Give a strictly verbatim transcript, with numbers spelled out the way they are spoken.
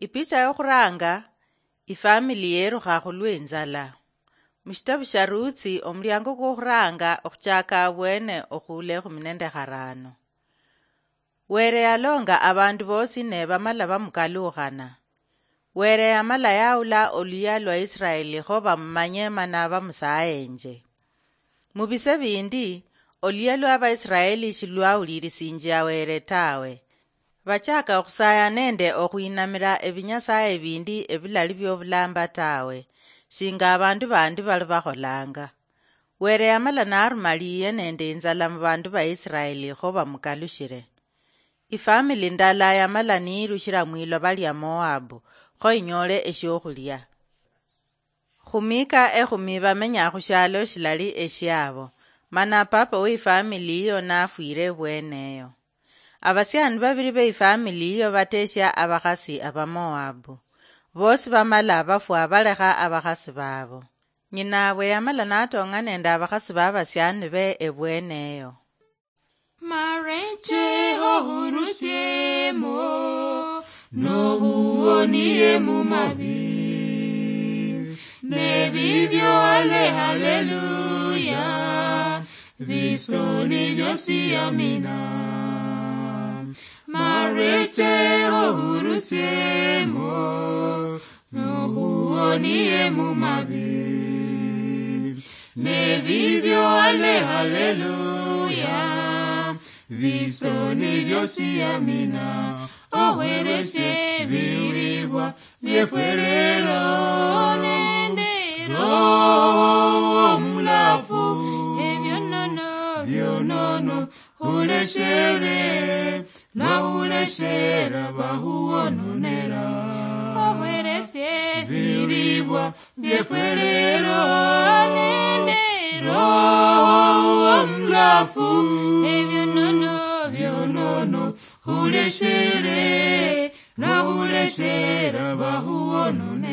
Ipicha yokhuranga, ifamili yerukha khulweinzala. Mushitabu shia Rutsi, omuliango kwokhuranga okhuchaka abwene okhuula ekhumi nende kharano. Were yalonga abandu bosi ne bamala bamukalukhana. Were yamala yaula oluyia lwa Israeli kho bamumanye mana bamusayenje. Mubise bindi, oluyia lwa Baisraeli shilwahulirisinjia Were tawe. Bachaka okhusaya nende okhwinamira ebinyasaye bindi ebilali biobulamba tawe, shinga abandu bandi bali bakholanga. Were yamala naruma liye nende inzala mubandu ba Israeli kho bamukalushire. Ifamili ndala yamala niyirushira mwiloba lia Moabu, kho inyole eshiokhulia. Khumika ekhumi bamenya khushialo shilali eshiabo, mana papa weifamili yiyo nafwire ebweneyo. Abasiani babiri beifamili yiyo bateshia abakhasi abamoabu. Bosi bamala bafwa balekha abakhasi babo. Nyinabwe yamala natong'a nende abakhasi babasiani be ebweneyo. Mareche ohurusiemo, nohuonie mumabi. Nebibyo ale haleluya, bisoni byosi amina. Mareche ohurusiemo, nohuonie mumabi. Nebibyo ale haleluya, bisoni byosi amina. Ohwereshe biribwa byefwerero nende Roho Omulafu, ebyonono byonono huleshere, nahuleshera bahuononera. Ohwereshe biribwa byefwerero nende Roho Omulafu, ebyonono byonono huleshere, nahuleshera bahuononera.